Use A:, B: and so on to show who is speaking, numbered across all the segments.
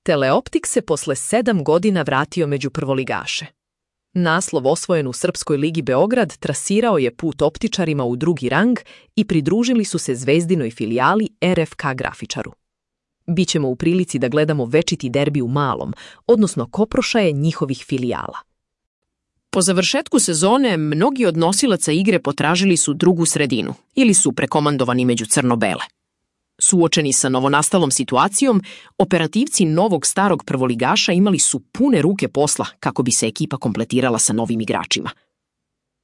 A: Teleoptik se posle 7 godina vratio među prvoligaše. Naslov osvojen u Srpskoj ligi Beograd trasirao je put optičarima u drugi rang i pridružili su se zvezdinoj filijali RFK Grafičaru. Bićemo u prilici da gledamo večiti derbi u malom, odnosno koprošaje njihovih filijala.
B: Po završetku sezone, mnogi od nosilaca igre potražili su drugu sredinu ili su prekomandovani među crno-bele. Suočeni sa novonastalom situacijom, operativci novog starog prvoligaša imali su pune ruke posla kako bi se ekipa kompletirala sa novim igračima.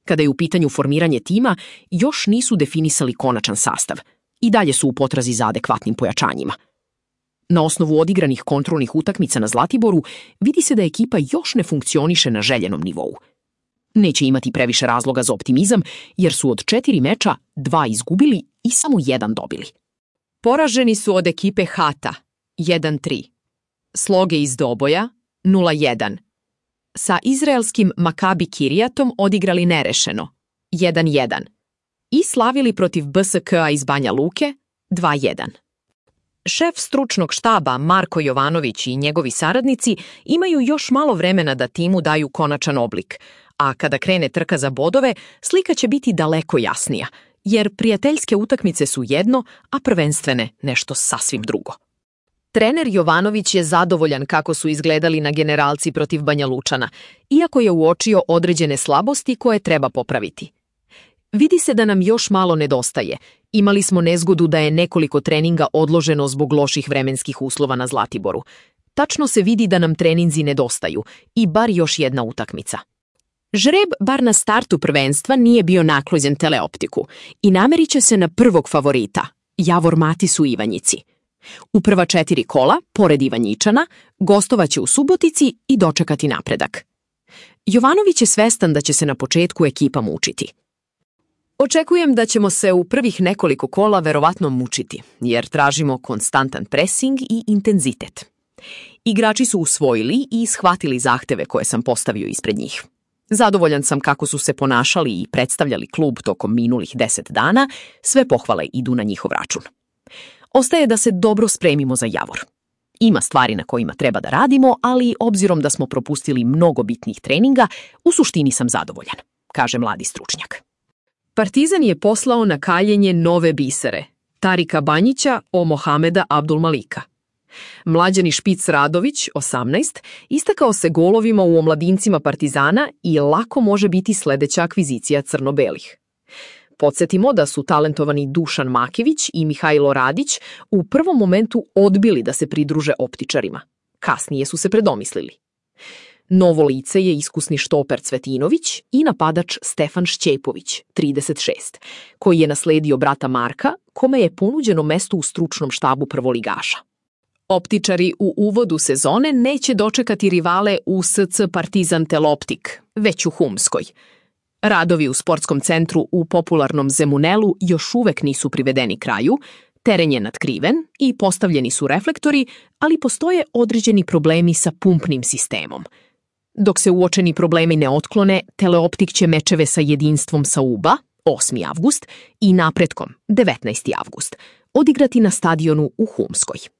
B: Kada je u pitanju formiranje tima, još nisu definisali konačan sastav i dalje su u potrazi za adekvatnim pojačanjima. Na osnovu odigranih kontrolnih utakmica na Zlatiboru vidi se da ekipa još ne funkcioniše na željenom nivou. Neće imati previše razloga za optimizam jer su od 4 meča 2 izgubili i samo 1 dobili.
A: Poraženi su od ekipe Hata 1-3, Sloge iz Doboja 0-1, sa izraelskim Makabi Kirijatom odigrali nerešeno 1-1 i slavili protiv BSK-a iz Banja Luke 2-1. Šef stručnog štaba Marko Jovanović i njegovi saradnici imaju još malo vremena da timu daju konačan oblik, a kada krene trka za bodove, slika će biti daleko jasnija, jer prijateljske utakmice su jedno, a prvenstvene nešto sasvim drugo. Trener Jovanović je zadovoljan kako su izgledali na generalci protiv Banja Lučana, iako je uočio određene slabosti koje treba popraviti. Vidi se da nam još malo nedostaje. Imali smo nezgodu da je nekoliko treninga odloženo zbog loših vremenskih uslova na Zlatiboru. Tačno se vidi da nam treninzi nedostaju i bar još jedna utakmica.
B: Žreb, bar na startu prvenstva, nije bio naklonjen Teleoptiku i nameriće se na prvog favorita, Javor Matis u Ivanjici. U prva 4 kola, pored Ivanjičana, gostovaće u Subotici i dočekati napredak. Jovanović je svestan da će se na početku ekipa mučiti.
A: Očekujem da ćemo se u prvih nekoliko kola verovatno mučiti, jer tražimo konstantan presing i intenzitet. Igrači su usvojili i shvatili zahteve koje sam postavio ispred njih. Zadovoljan sam kako su se ponašali i predstavljali klub tokom minulih 10 dana, sve pohvale idu na njihov račun. Ostaje da se dobro spremimo za Javor. Ima stvari na kojima treba da radimo, ali obzirom da smo propustili mnogo bitnih treninga, u suštini sam zadovoljan, kaže mladi stručnjak. Partizan je poslao na kaljenje nove bisere, Tarika Banjića o Mohameda Abdulmalika. Mlađani Špic Radović, 18, istakao se golovima u omladincima Partizana i lako može biti sledeća akvizicija crno-belih. Podsjetimo da su talentovani Dušan Makević i Mihajlo Radić u prvom momentu odbili da se pridruže optičarima. Kasnije su se predomislili. Novo lice je iskusni štoper Cvetinović i napadač Stefan Šćepović, 36, koji je nasledio brata Marka, kome je ponuđeno mesto u stručnom štabu prvoligaša. Optičari u uvodu sezone neće dočekati rivale u SC Partizan Teleoptik, već u Humskoj. Radovi u sportskom centru u popularnom Zemunelu još uvek nisu privedeni kraju, teren je natkriven i postavljeni su reflektori, ali postoje određeni problemi sa pumpnim sistemom. Dok se uočeni problemi ne otklone, Teleoptik će mečeve sa Jedinstvom Sauba, 8. avgust, i Napretkom, 19. avgust, odigrati na stadionu u Humskoj.